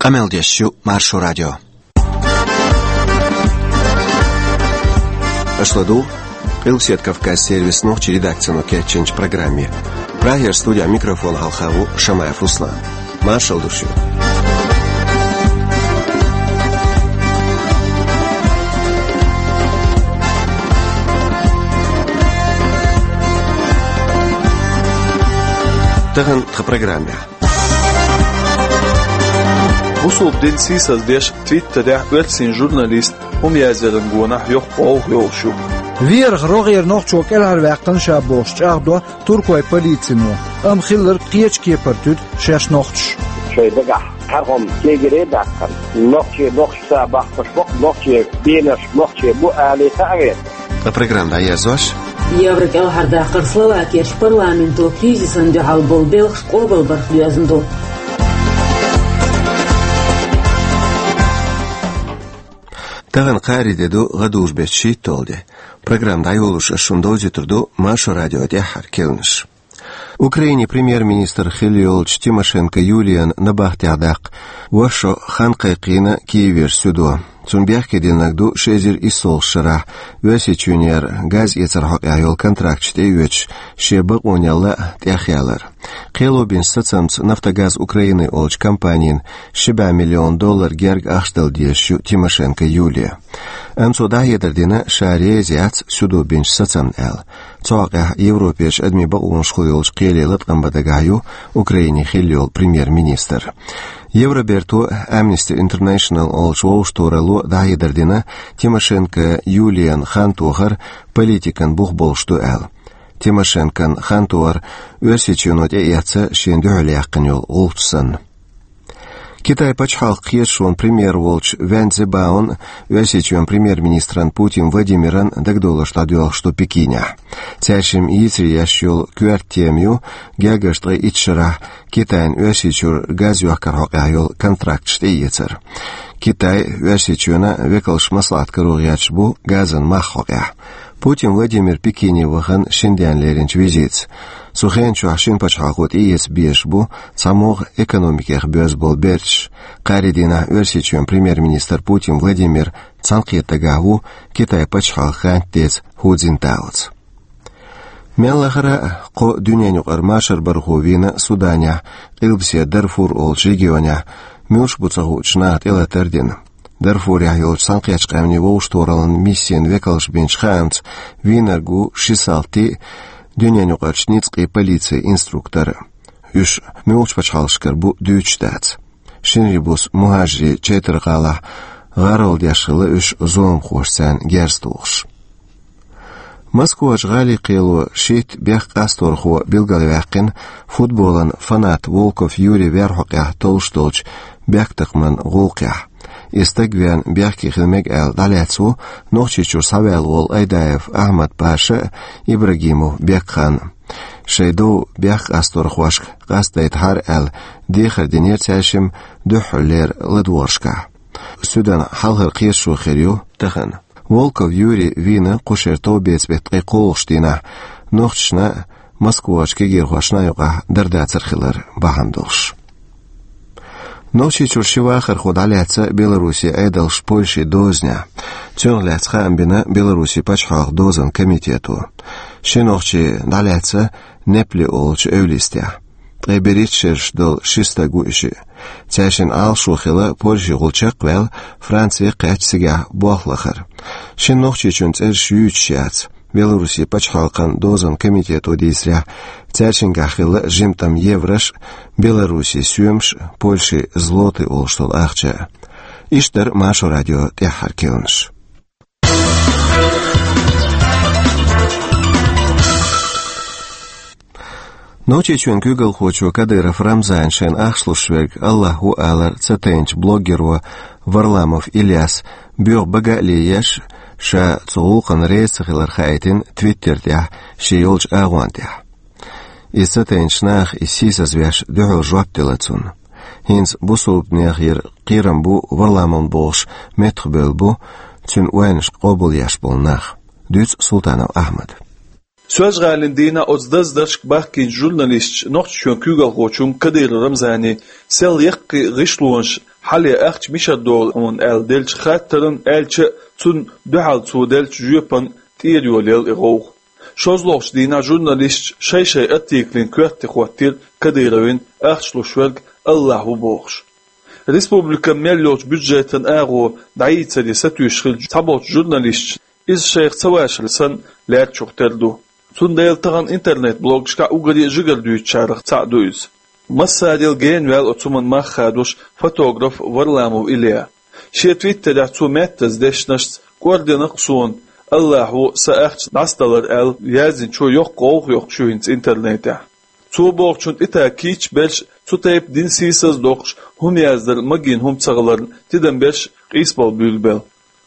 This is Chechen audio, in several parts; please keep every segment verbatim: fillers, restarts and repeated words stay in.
Къамел деш ю Маршо радио. Аша ладугӀу Къилбаседа Кавказ сервисан нохчийн редакцино кечйинчу программе. Прагера студехь микрофон хьалха ву Шамаев Руслан. Маршалла ду шуьга. Тахана тхан программехь. Бусулба дин сийсаздеш Твиттерехь оьрсийн журналист хӀума язъяран гонахь йоккха гӀовгӀа йолуш ю. Верах рогӀера нохчо кӀелхьарваьккхина ша бохуш чӀагӀдо туркойн полицино, амма хилларг кхечу кепара туьду шаьш нохчаша. Шайн дагахь кхархам кегире а даьккхина, нохчий бохуш ца бахкаш боккха, нохчий бенаш нохчий бу алий, ца а веана. Ткъа программа дӀаерзош. Евро кӀелхьардаккхар Словакерчу парламенто кризисан дуьхьал болу белхаш къобалбарх доьзна ду. Тахана кхаарин де ду, гӀадужу беттан шийтталгӀа де. Программа дӀайолош ас шуна довзуьйтур ду Маршо радион тӀаьххьара керланаш. Украинин премьер-министр хилла йолчу Тимошенко Юлиян набахтехь даккха вайша хан кхайкхийна Киевера суьдо. Цунна бехке динарг ду ши эзар иссалгӀачу шарахь Оьрсийчоьнера газ эцаран хьокъехь йолу контракташ тӀеоьцуш, шен бакъонал а тӀехъялар. Кхело бинчу сацамца «Нафтогаз Украины» олучу компанина ши бӀе миллион доллар герга ахча дала дезаш ю Тимошенко Юлия. Амма цо дӀахьедар дина, ша реза яц суьдо бинчу сацамна аьлла. Цу хьокъехь Европерчу адамийн бакъонашкахула йолчу кхеле латкъам бан дагахь ю Украинин хилла йолу премьер-министр. Евроберто, Amnesty International олучу вовшахтохаралло дӀахьедар дина, Тимошенко Юлиян хантохар политикан бух болуш ду аьлла. Тимошенкон хантохар Оьрсийчоьно тӀеэцна шена дуьхьал яьккхина йолу гӀулч санна. Китайн пачхьалкхан кхеташонан премьер волчу Вэн Цзиньбаон а, Оьрсийчоьнан премьер-министран Путин Владимиран а дагадовларш дӀадоьлхуш ду Пекинехь. Цаьршимма йийцаре еш йолу коьрта тема ю гергарчу ткъе итт шарахь Китайн Оьрсийчуьра газ йохкар хьокъехь йолу контракташ тӀеэцар. Китай а, Оьрсийчоьнан а векалш маслаӀат каро гӀерташ бу газан мах хьокъехь. Путин Владимир Пекине вахана шина денна леринчу визитца. Цу хенан чохь шина пачхьалкхо тӀеэца безаш бу цхьамогӀа экономикех боьзна болу берташ. Кхаарин дийнахь Оьрсийчоьнан премьер-министр Путин Владимир цхьаьнакхетта дагахь ву Китайн пачхьалкхан гӀантдеца Ху Цзиньтаоца. Мел лахара а кху дуьненан юкъара машар бархо вийна Суданехь, Къилбаседа Дарфур олучу регионехь, муьлш бу ца хуучу наха тӀелатар дина. Дарфурехь йолчу Цхьаьнакхеттачу Къаьмнийн вовшахтохараллин миссин векалша бинчу хаамца, вийнарг ву ши салти а, дуьненан юкъарчу ницкъийн полицин инструктор а. Уьш муьлхачу пачхьалкхашкара бу дуьйцуш дац. Шинарин буса мухӀажарийн Чайтар-ГӀалахь гӀарол деш хилла уьш зуламхоша царна герз тухуш. Москвачу гӀалин кхело шийтта бехк къасторхо билгалваьккхина футболан фанат Волков Юрий вер хьокъехь толлуш долчу бехктакхаман гӀуллакхехь. И стаг вен бехке хила мега аьлла дӀалаьцна ву Нохчийчуьра схьаваьлла волу Айдаев Ахьмад-Паша а, Ибрагимов Бекхан а. Шайн дов бехк къасторхошка къастадайтахьара аьлла, дехар динера цаьршимма дуьххьарлера ладогӀаршкахь. Суьдан хьалхара кхеташо хир ю тахана. Волков Юрий вийна кху шеран товбеца беттан ткъе кхоалгӀачу дийнахь, нохчашна а, Москвачу кегийрхошна а юкъахь дарба дацар хилар бахьана долуш. Нохчийчуьра ши вахархо дӀалаьцна Беларусин Ӏедалша Польшин дозанехь. Цунах лаьцна хаам бина Беларусин пачхьалкхан дозанан комитето. Ши нохчи дӀалаьцна Непли олучу эвла йистехь. Ткъе берхӀитта шераш долу ши стаг ву и шиъ. Цаьршиннан Ӏалашо хилла Польшехула чекхваьлла, Франце кхаьчна цигахь болх лахар. Шина нохчичун цӀераш юьйцуш яц. Беларусин пачхьалкхан дозанан комитето дийцарехь, цаьршингахь хилла жимма тӀам еврош а, Беларусин соьмаш а, Польшин злоты олуш долу ахча а. Иштта дара Маршо радион тӀаьххьара керланаш. Нохчийчоьнан куьйгалхочо Кадыров Рамзана шайна ахча луш верг АллахӀ ву алар ца тайначу блогеро Варламов Ильяса боьха бага а лелош, ша цу гӀуллакхана реза ца хилар хаийтина Twitter тӀехь шен йолчу агӀон тӀехь. Иза ца тайначу наха иза сийсазвеш дуьхьал жоп делла цунна. ХӀинца бусулбанехера кхерам бу Варламовна бохуш меттахбевлла бу цуьнан ойланашка къобалъеш болу нах. Дуьйцу Султанов Ахьмада. Соьлжа-ГӀалина дийнахь оцу даздаршка бахкийначу журналисташа Нохчийчоьнан куьйгалхочунна Кадыров Рамзана сел яккхий гӀишлонаш хьале ахча мишар долу хьуна аьлла деллачу хаттаран, аьлча а, цунна дуьхьал цо деллачу жоьпан тӀера йолаелла и гӀовгӀа. ШозлагӀчу дийнахь журналисташа шай-шай артиклан коьрте хӀоттийра Кадыровна ахча луш верг АллахӀ ву бохуш. Республикан мел йолчу бюджетан агӀо дӀайийцаре сатуьйсуш хиллачу цхьаболчу журналисташа иза шайх ца вашар санна лаьррачух тера ду. Цундела тахана интернет-блогашкахь уггаре а жигара дуьйцучарах цхьаъ ду иза. Массарел генаваьлла оцу хӀуманан мах хадош фотограф Варламов Илья. Шен твиттерехь цо меттаза дешнашца кӀордина-кх суна, АллахӀ ву сан ахча дӀасадалар аьлла, яздинчо йоккха гӀовгӀа йоккхуш ю хӀинца интернетехь. Цо бохучунна тӀетаьӀча кийча берш а, цу тайпа дин сийсаздоккхуш, хӀума яздар магийна хӀума ца хиларна, тидам берш а къийсабала буьйлабелла.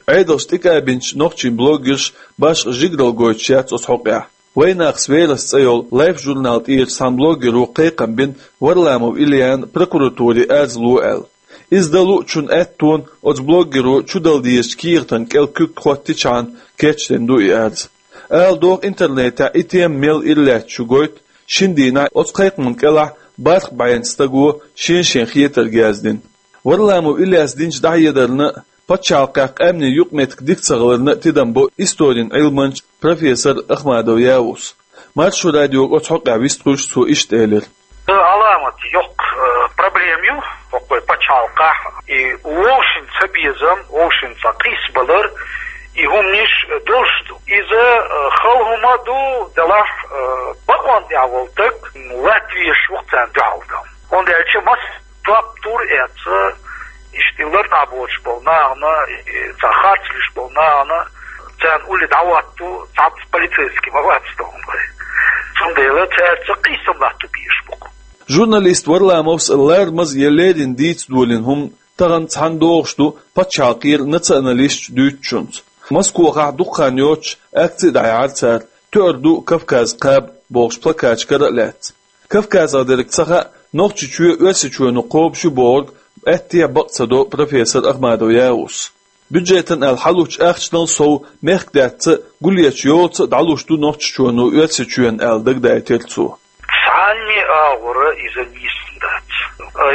Ӏедалша тӀекъабинчу нохчийн блогерш башха жигаралла гойтуш яц оцу хьокъехь. «Вайнахас верас» цӀе йолу Life журнал тӀера цхьана блогеро кхайкхам бина Варламов Ильяна прокуратуре арз ло аьлла. Иза дан луучун аьттонна оцу блогеро чудала дезачу кехатан кӀел куьг хӀоттичхьана кечдина ду и арз. Ала догӀу, интернетехь и тема мел ира лаьтташ ю гойту шина дийнахь оцу кхайкхаман кӀелахь бархӀ бӀеннаш стага шен-шен хетарг яздина. Варламов Ильяс динчу дӀахьедарна а, пачхьалкхехь къаьмнийн юкъаметтиг дика ца хиларна а тидам бо историн Ӏилманча, профессор Ахмадов Явуса. Маршо радиога оцу хьокъехь вистхуьлуш цо иштта элира: «Аламат йоккха, э, проблема ю хӀокху вай пачхьалкхехь, и вовшийн цабезам, вовшийн цхьа къийсабалар, и хӀуманаш долуш ду. Иза, э, хала хӀума а ду, делахь, э, бакъонна тӀехь волу стаг латтавеш ву-кх царна дуьхьал дан. ХӀунда аьлча мас топ тур эца, иштта и лартӀахь боцуш болу нахана, и цхьа харц луьйш болу нахана, царна улле дӀахӀотто цхьацца полицейский ма вац тхуна вай. Цундела цаьрца къийсам латто безаш бу-кх». Журналист Варламовс ларамаза я леррина дийца долийна хӀума тахана цхьаьна догӀуш ду пачхьалкхера националисташа дуьйцучунца. Москвахахь дукха хан йоццуш акци а дӀаяьхьира цара, «Тоьар ду Кавказ кхаба» бохуш плакаташ кара а лаьцна. Кавказах дерг ца хаьа, Нохчийчоь Оьрсийчоьно кхобуш ю бохург аьттехьа бакъ ца до профессор Ахмадов Явуса. Бюджетан аьлла хьалучу ахчанал сов мехкдаьтца а, гулъечу йолаца а дӀалуш ду Нохчийчоьно Оьрсийчоьнна аьлла дагадайтира цо. Цхьанне а агӀора иза нийса дац.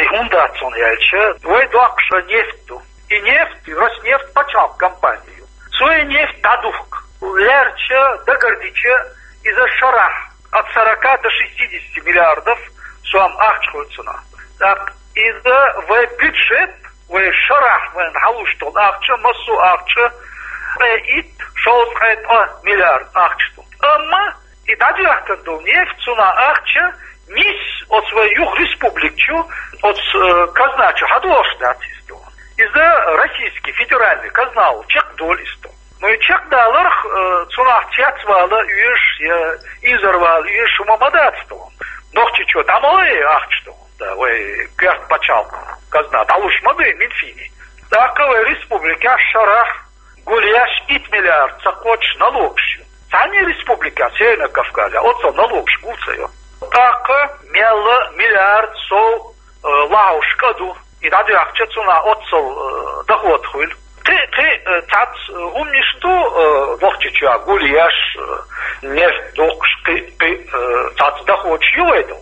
И хӀунда дац хьуна аьлча, вай доккхуш нефть ду. И нефть, Роснефть пачхьалкхан компания ю. Цо и нефть дӀадухку. Лаьрча, дагардича, иза шарахь от сорока до шестидесяти миллиардов сом ахча хуьлу цунах. ТӀаккха иза вай бюджет, вай шарахь вайна хьалуш долу ахча, массо а ахча, ткъе итт, шовзткъе ткъа миллиард ахча ду. Амма и дӀадоьхкина долу нефть, цунах ахча нисса оцу вай юха республика чу, оцу, э, казна чу хьадолуш дац иза тхуна. Иза российский федеральный казнал чекхдолу иза тхуна. Ну, и чекхдаларх, э, цунах цецвала оьшуш я изарвала оьшуш хӀума ма дац тхуна. Нохчийчоь дӀа ма ло и ахча тхуна, да, вай коьрта пачхьалкхан казна дӀалуш ма ду и Минфине. ТӀаккха вай республикехь шарахь гулъеш итт миллиард ца кхочуш налогаш ю. Цхьанне республикехь, Северный Кавказе, оццул налогаш гул ца йо. ТӀаккха мелла миллиард сов, э, лахьуш кӀа ду. И дӀадоьхкича цунах оццул, э, доход хуьлу. Кхин, кхин, э, цхьацца, э, хӀуманаш ду, э, Нохчийчохь гулъеш, э, нефть дукхуш, кхин, кхин, э, цхьацца доходаш ю вай ду.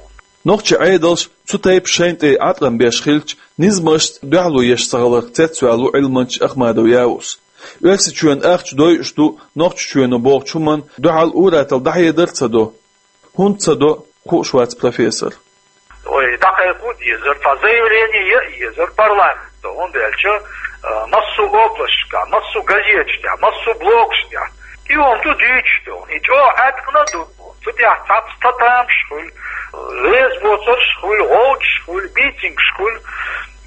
Нохчийн Ӏедалш цу тайпа шайна тӀе Ӏаткъам беш хилча, низамашца дуьхьало еш ца хиларх цецваьлла ву Ӏилманча Ахмадов Явус. Оьрсийчоьнан ахча дойуш ду Нохчийчоьно бохучу хӀуманна дуьхьал ур-атталла дӀахьедар а ца до. ХӀунда ца до, хууш вац профессор. Ой, дӀакхайкха а дезара, цхьа заявление ян а езара парламенто, хӀунда аьлча, а, массо а областашкахь, массо а газеташ тӀехь, массо а блогаш тӀехь и хӀума ду дуьйцуш ду, и чӀогӀа Ӏаткъам ду. Цу тӀехь цхьацца татамаш хуьлу, реза боцурш хуьлу, гӀовгӀанаш хуьлу, митингаш хуьлу.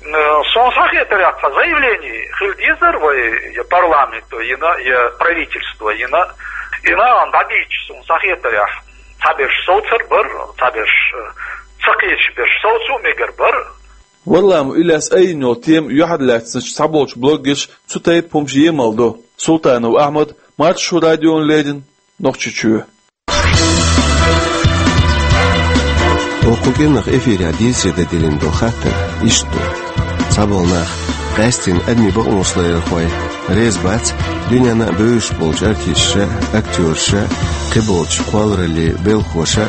Э, суна схьахетарехь, цхьа заявление хила дезара вай я парламенто йина, я правительство йина. И нахана дӀадийцича, суна схьахетарехь, цхьаберш совцар бара, цхьаберш, э, ца кхеташ берш совца а мегар бара. Варламов Ильяс айина йолу тема юьхьарлаьцначу цхьаболчу блогерша цу тайпа хӀумаш емал до. Султанов Ахьмад, Маршо радиона леррина, Нохчийчоь. Оцу кӀиранах эфирехь дийцаре дан диллина долу хаттар иштта ду. Цхьаболу нах, къаьсттина адамийн бакъонаш ларъярхой, реза бац дуьненна а бевзаш болчу артисташа, актёраша, кхиболчу кхоллараллин белхахоша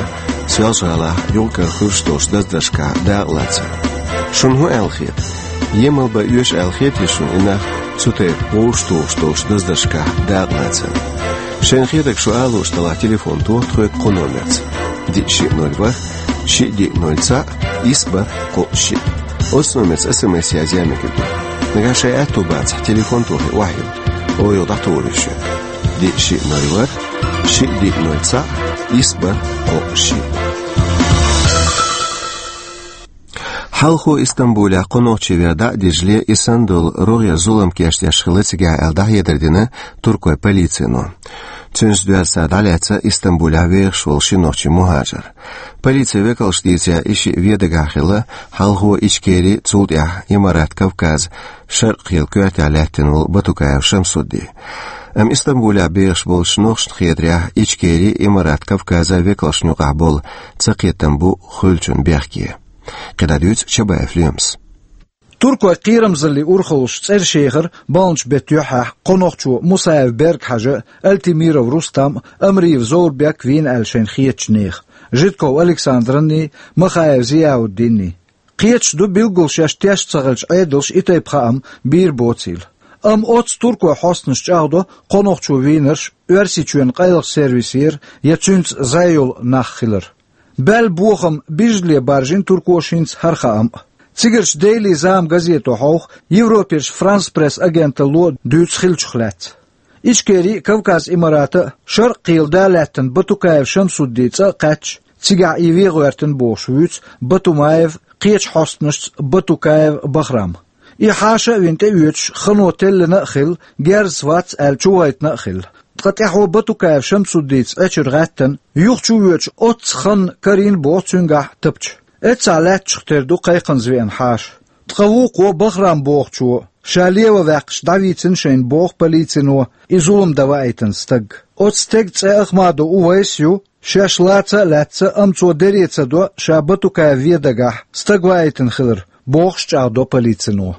Соьлжа-ГӀалахь юкъ-кара хуьлуш долчу даздаршкахь дакъалацар. Шуна хӀун аьлла хета? Емал бан оьшу аьлла хетий шуна и нах, цу тайпа вовшах тухуш долчу даздаршкахь дакъа лацарна? Шайна хетарг шу ала лууш делахь, телефон тоха тхоьга кху номерца: диъ шиъ ноль ворхӀ, шиъ диъ ноль цхьаъ, исс бархӀ кхоъ шиъ. Оцу номерца СМС язъян мегар ду. Нагахь шайн аьтто бацахь, телефон тохий охьайилла, оха юха дӀатухур ю шуьга: диъ шиъ ноль ворхӀ, шиъ диъ ноль цхьаъ, исс бархӀ кхоъ шиъ. Хьалхо Истамбулехь кхо нохчи вер дӀа а дижале, и санна долу рогӀера зулам кечдеш хилла цигахь аьлла, дӀахьедар дина туркойн полицино. Цуьнца доьзна цара дӀалаьцна Истамбулехь вехаш волу ши нохчи мухӀажар. Полицин векалша дийцарехь, и шиъ вен дагахь хилла, хьалхо Ичкери, цул тӀаьхьа Имарат Кавказ, Шаркъ-Кхел коьртехь лаьттина волу Батукаев Шамсудди. Амма Истамбулехь бехаш болчу нохчашна хетарехь, Ичкери, Имарат Кавказа векалшна юкъахь болу цакхетам бу хуьлучун бехке. КхидӀа дуьйцу Чабаев Лемас. Туркойн кхерамзаллин урхаллаш цӀераш ехира баханчу беттан юьххьехь кхо нохчо: Мусаев Берг-Хьажа, Альтимиров Рустам, Амриев Зоврбек вийна аьлла шайна хетачу нехан, Житков Александранний, Махаев Зияуддинний. Кхеташ ду билггал шаьш тешна ца хиллачу Ӏедалша и тайпа хаам бийр боцийла. Амма оццу туркойн хьостанаша чӀагӀдо кхо нохчо вийнарш Оьрсийчоьнан къайлахчу сервисера я цуьнца зӀе йолу нах хилар. Баьлла бохам бижзале баржийна туркоша хӀинца хӀара хаам а. Цигарчу «Дейли зама» газето хьовха, Европерчу «Франс Пресс» агенталло дуьйцу хиллачух лаьцна. Ичкери а, Кавказ Имарата а, Шаркъ-Кхел да лаьттина Батукаев Шамсуддин цӀа а кхаьчча, цигахь и вен гӀоьртина бохуш вуьйцу Батумаев, кхечу хьостанашца Батукаев Бахрам. И хьаша а вина тӀеоьцуш, хано теллина а хилла, герзаца вац аьлла чувахийтина а хилла. Ткъа тӀаьхьо Батукаев Шамсуддица Ӏечуьра гӀаьттина, юха чувоьдуш оццу ханна карийна боху цуьнгахь Тапча. Эццахь лаьттачух тера ду кхайкхаза веана хьаша. Ткъа вукхо, Бахрам бохучо, ша лева ваьккхича дӀавийцина шайна боху полицино и зулам дан ваийтина стаг. Оцу стеган цӀе Ахмадов Увайс ю, шаьш лаца а лаьцна, амма цо дере ца до ша Батукаев вен дагахь стаг ваийтина хилар, бохуш чӀагӀдо полицино.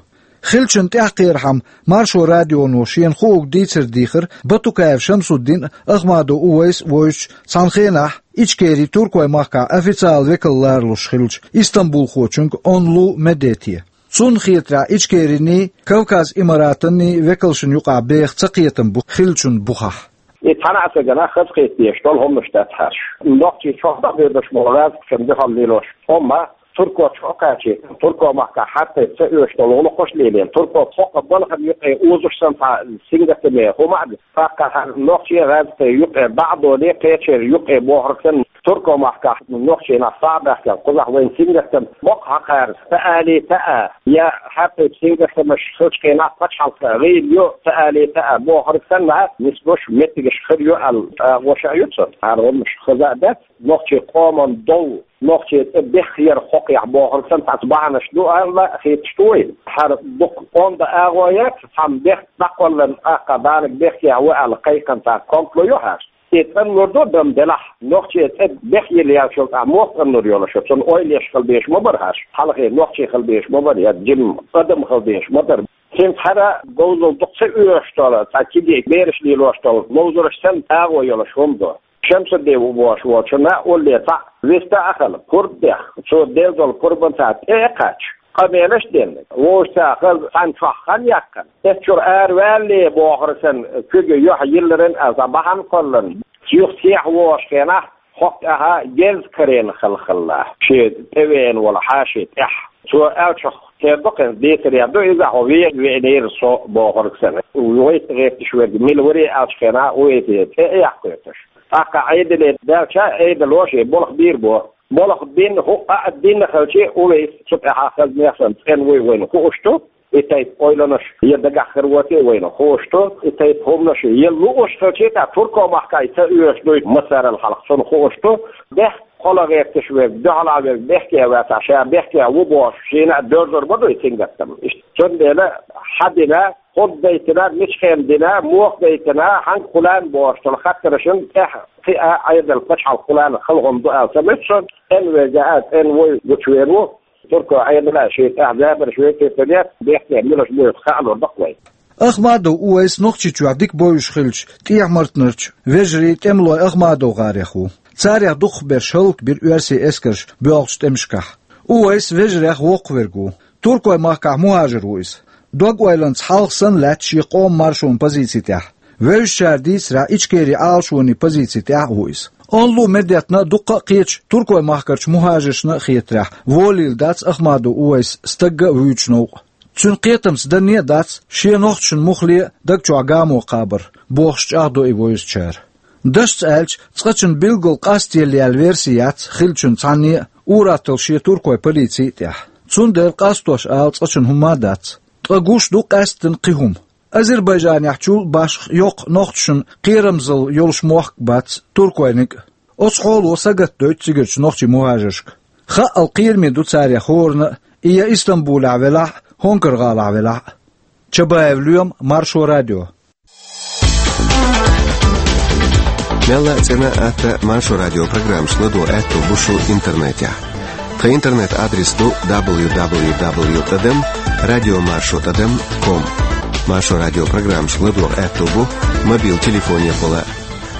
Хиллачун тӀаьхьакхерхьама Маршо радионо шена хуург дийцар дийхира Батукаев Шамсуддин а, Ахмадов Увайс а вовзучу, цхьана хенахь Ичкери Туркойн махкахь официалан векал ларалуш хиллачу истамбулхочуьнга Онлу Медете. Цунна хетарехь, Ичкериний, Кавказ Имаратанний векалшна юкъахь беха цакхетам бу хиллачун бухахь. И цхьана а стагана хазахета дезаш долу хӀуманаш дац хьаьрча. Нохчий чохь а хьоьдуш болу гӀазкхашна дуьхьал лелош хӀума турко чу а кхачийта, турко махкахь хьаьртайта ца оьшуш долу гӀуллакхаш а лелийна, турко хӀокху балхана юкъе озуш санна цхьа сингаттаме хӀума а ду. ТӀаккха хьан нохчий гӀазкхий юкъе дӀа а долий, кхечеран юкъе бохург санна, турко махкахь нохчий нах схьа а баьхкина, кхузахь вайна сингаттам боккха хьакхара, ца алий, ца а, я хьаьртайта сингаттамаш хиллачу хенахь пачхьалкх гӀийла ю, ца алий, ца а бохург санна, нисбеш меттигаш хир ю аьлла, тӀаккха ваша а ю цунна. Хьан хӀуманаш хаза а дац, нохчий къоман дов, нохчий цӀе бехъяр хӀокхехь бохург санна, цхьацца бахьанаш ду аьлла хеташ ду вайна. ХӀара дукха онда агӀо яц, цхьамма бехк дӀакхолларна, тӀаккха Далаг бехке ву аьлла кхайкхина цхьа компло ю хьаьрча. И цӀанлур ду дан делахь, нохчий цӀе бехъяла яьллачул тӀаьхьа муха цӀанлур йолуш ю? Цунна ойла еш хила безаш ма бара хьаьрча. Хьалхе нохчий хила безаш ма бара, я жима адам хила безаш ма дара. ХӀинца хӀара говзалла дукха ца оьшуш долу, цхьа кегий бераш лелош долу ловзарш санна агӀо йолуш хӀума ду. Шамсудди ву бохуш волчунна улле цхьаъ вист а хилла, пурба дехна, цо делла долу пурбанца тӀе а кхаьчна, къамелаш а дина, вовшашца хаза цхьана чохь хан яьккхина, эццахь чуьра араваьлла бохург санна, куьг юьхь йилларан а цхьа бахьана кхолларна, юха сехьа вогӀуш хенахь, хӀокху тӀаьхьа герз карийна хилла хилла, шен тӀевеана волу хьаша тӀехь. Цо аьллачух тера ду-кх, дийцаре ду иза, хьо вен веанера со бохург санна. Вайца гӀерташ верг мила вара аьллачу хенахь, вайца цӀе а яккхуьйтуш. ТӀаккха Ӏедале даьлча, Ӏедало шен болх бийр бу. Болх бина, хӀуъа а дина хилча, Увайс цу тӀаьхьа хаза нехан санна цӀена вуй вайна хууш ду. И тайпа ойланаш я дагахь хир воций вайна хууш ду. И тайпа хӀуманаш я лууш хилча, тӀаккха турко махкахь ца оьшуш дуй массарал хьалха, цунна хууш ду. Бехк кхола гӀерташ верг, дуьхьала верг бехке а вацахь, ша бехке ву бохуш, шена а доьрзур ма дуй сингаттам. Иштта. Цундела хьан дина, хӀунда дайтина, мича хенахь дина, муха дайтина, хьаьнга кхуллан бохуш долу хаттаршна тӀехь кхиа Ӏедал пачхьалкх кхуллан хала хӀума ду аьлла ца муьту шуна, цӀена верг а цӀена вуй гучувер ву. Турко Ӏедала шен тӀехь забарш векхетар яц, бехке милаш буьйцу хаалур бакъ вай. Ахмадов Увайс Нохчийчохь дика бовзуш хиллачу ТӀехьа-Мартанарчу вежарий тӀемалой АхмадовгӀарех ву. Царех дукхахберш хӀаллакбира оьрсийн эскарша боьлхучу тӀемашкахь. Увайс вежарех воккхаверг ву. Туркойн махкахь мухӀажар ву иза. Дог-ойланца хьалха санна лаьтта шен къоман маршонан позици тӀехь. Вевзачара дийцарехь, Ичкерин Ӏалашонан позици тӀехь а ву иза. Онлу медетна дуккха а кхечу Туркойн махкарчу мухӀажаршна а хетарехь, волийла дац Ахмадов Увайс стагга а, вуьйчу новкъа. Цуьнан кхетамца данне а дац, шен нохчашна муххале а даг чохь гамо кхабар, бохуш чӀагӀдо и вевзачара. Дашца аьлча, цкъачунна билггал къастаелла яьлла верси яц хиллачун цхьанне а, ур-атталла шен туркойн полици а тӀехь. Цундела къастош ала цкъачунна хӀумма а дац. Ткъа гуш ду къаьсттина кхин хӀума. Азербайджанехь чул башха йоккха нохчашна кхерамзалла йолуш мохк а бац, туркойниг а. Оцу хьоло сагатдойту цигарчу нохчийн мухӀажаршка. Хаъал кхераме ду царех хӀоранна а, и я Истамбулехь велахь а, ХӀонкар-гӀалахь велахь а. Чабаев Лоьма, Маршо радио. Мелла а цӀена а, атта а Маршо радио программашка ладогӀа аьтто бу шун интернетехь. Тхан интернет-адрес ду дабл ю дабл ю дабл ю тӀадам радиомаршо тӀадам ком. Маршо радио программашка ладогӀа аьтто бу мобил телефонехула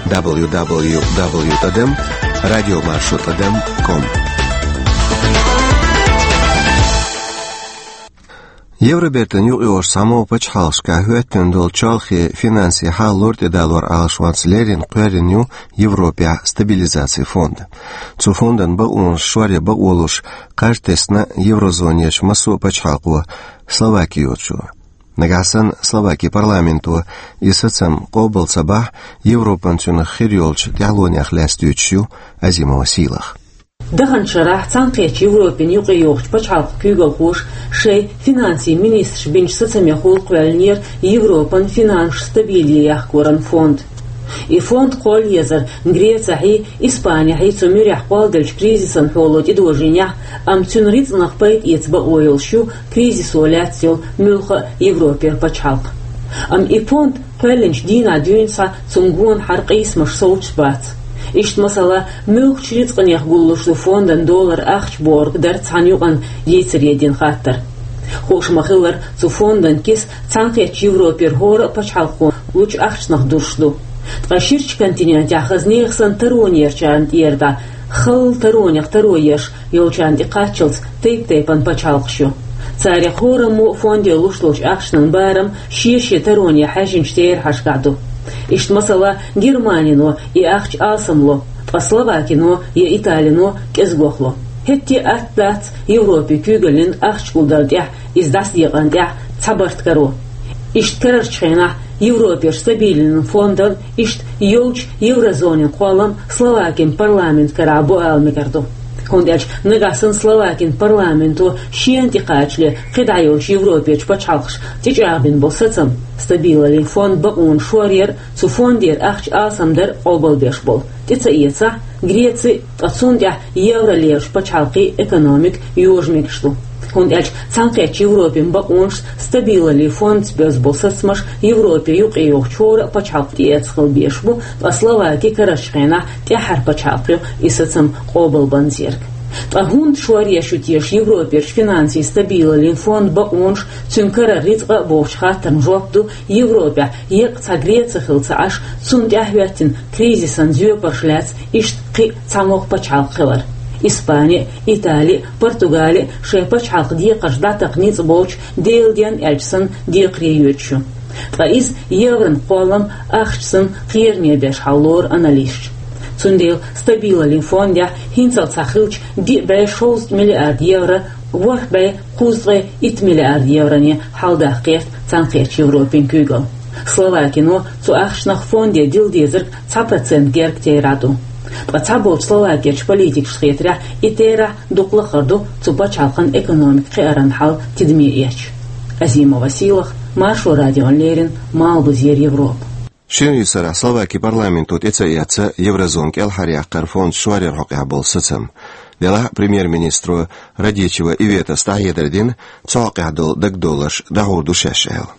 дабл ю дабл ю дабл ю тӀадам радиомаршо тӀадам ком. Евробертан юкъайогӀучу цхьамогӀа пачхьалкхашкахь хӀоьттина долу чолхе финансийн хьал лор тӀедалор Ӏалашонца леррина кхоьллина ю Европехь стабилизацин фонд. Цу фондан бакъонаш шоръян бакъо луш, кхаж тесна еврозонерчу массо а пачхьалкхо, Словаки йоцчо. Нагахь санна Словаки парламенто и сацам къобал ца бахь, Европан цуьнах хир йолчу тӀаьхьалонех лаьцна дуьйцуш ю Азимова Сийлаха. Даханчу шарахь Цхьаьнакхеттачу Европин юкъайогӀучу пачхьалкхан куьйгалхоша шайн финансийн министраш бинчу сацамехула кхоьллинера Европан финансаш стабиле яккхаран фонд. И фонд кхолла езара Грецехьий, Испанехьий цу муьрехь кхолладеллачу кризисан хьоло тӀедожийнехь, амма цуьнан рицкъанах пайда эца бакъо йолуш ю кризисо лаьцна йолу муьлхха а Европера пачхьалкх. Амма и фонд кхоьллинчу дийнахь дуьйна схьа цунна гонахьара къийсамаш совцуш бац. Иштта, масала, муьлххачу рицкъанех гуллуш ду фондан долара ахча бохург дара цхьана юкъана йийцаре дина хаттар. Хууш ма-хиллара, цу фондан киса Цхьаьнакхеттачу Европера хӀора а пачхьалкхо лучу ахчанах дузуш ду. Ткъа ширачу континентехь хаза нехан санна таронерчарна тӀера дӀа, халла таронех таро еш йолчарна тӀекхаччалц тайп-тайпана пачхьалкхаш ю. Царех хӀораммо а фонде луш долчу ахчанан барам шен-шен тароне хьаьжжинчу терахьашкахь ду. Иштта, масала, Германино и ахча алсам ло, ткъа Словакино я Италино кӀезигох ло. ХӀетте а атта дац Европин куьйгаллин ахча гулдалла тӀехь, иза дӀасадекъана тӀехь цхьа барт каро. Иштта карарчу хенахь Европерчу стабилин фондал иштта йолчу еврозонин кхоллам Словакин парламент карахь бу ала мегар ду. ХӀунда аьлча нагахь санна Словакин парламенто шена тӀекхачале кхидӀа йолчу Европерчу пачхьалкхаша тӀечӀагӀбина болу сацам, стабилаллин фонд бакъонаш шоръяр а, цу фондера ахча алсамдар а къобалбеш болу, тӀе ца эцахь, Греци, ткъа цунна тӀехь евро лерачу пачхьалкхийн экономика йожа мегаш ду. ХӀунда аьлча Цхьаьнакхеттачу Европин бакъонашца стабилаллин фондца боьзна болу сацамаш Европе юкъайогӀучу хӀора а пачхьалкх тӀеэцна хила безаш бу, ткъа Словаки карарчу хенахь тӀаьххьара пачхьалкх ю и сацам къобалбанза ерг. Ткъа хӀунда шоръеш ю теша Европерчу финансийн стабилаллин фонд бакъонаш, цуьнан карара рицкъа а бохучу хаттарна жоп ду Европехь еккъа цхьа Греци хилла ца Ӏаш, цунна тӀаьхьахӀоьттина кризисан зоьпарш лаьцна иштта кхин а цхьамогӀа пачхьалкх хилар. Испани а, Итали а, Португали а шайн пачхьалкхан декхарш дӀатакха ницкъ болчу, Делан денна аьлча санна, декхаре йоьдуш ю. Ткъа иза еврон кхоллам ахча санна кхераме беш хьал лору аналисташа. Цундела стабилаллин фондехь хӀинццалц схьахиллачу диъ бӀе шовзткъа миллиард евро ворхӀ бӀе кхузткъе итт миллиард евроне хьалдаккха гӀерта Цхьаьнакхеттачу Европин куьйгалла. Словакино цу ахчанах фонде дилла дезарг цхьа процент гергга терахь ду. Ткъа цхьаболчу Словакерчу политикашна хетарехь, и терахь дукха лахара ду цу пачхьалкхан экономика кхиаран хьал тидаме эцча. Азимова Сийлаха, Маршо радиона леррина, Малхбузера Европа. Шина йисарахь Словаки парламенто тӀе ца эцна еврозона кӀелхьаръяккхаран фонд шоръяран хьокъехь болу сацам. Делахь а премьер-министро Радичева Иветас дӀахьедар дина, цу хьокъехь долу дагадовларш дӀахьур ду шаьш аьлла.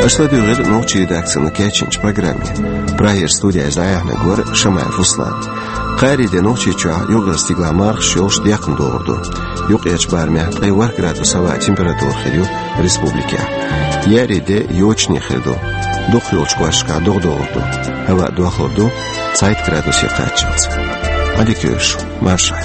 Аша ладуьйгӀира нохчийн редакцино кечйинчу программе. Прагера студиехь дӀаяьхьнарг вара Шамаев Руслан. Кхаарин де Нохчийчохь юкъара стигалахь мархаш йолуш декхна догӀур ду. Юккъерчу барамехь ткъе ворхӀ градус хӀаваан температура хир ю республикехь. Еарин де йочане хир ду. Дукхахйолчу кӀошташкахь догӀа догӀур ду. ХӀаваъ дохлур ду цхьайтта градусе кхаччалц. Ӏадика йойла шун, маршалла.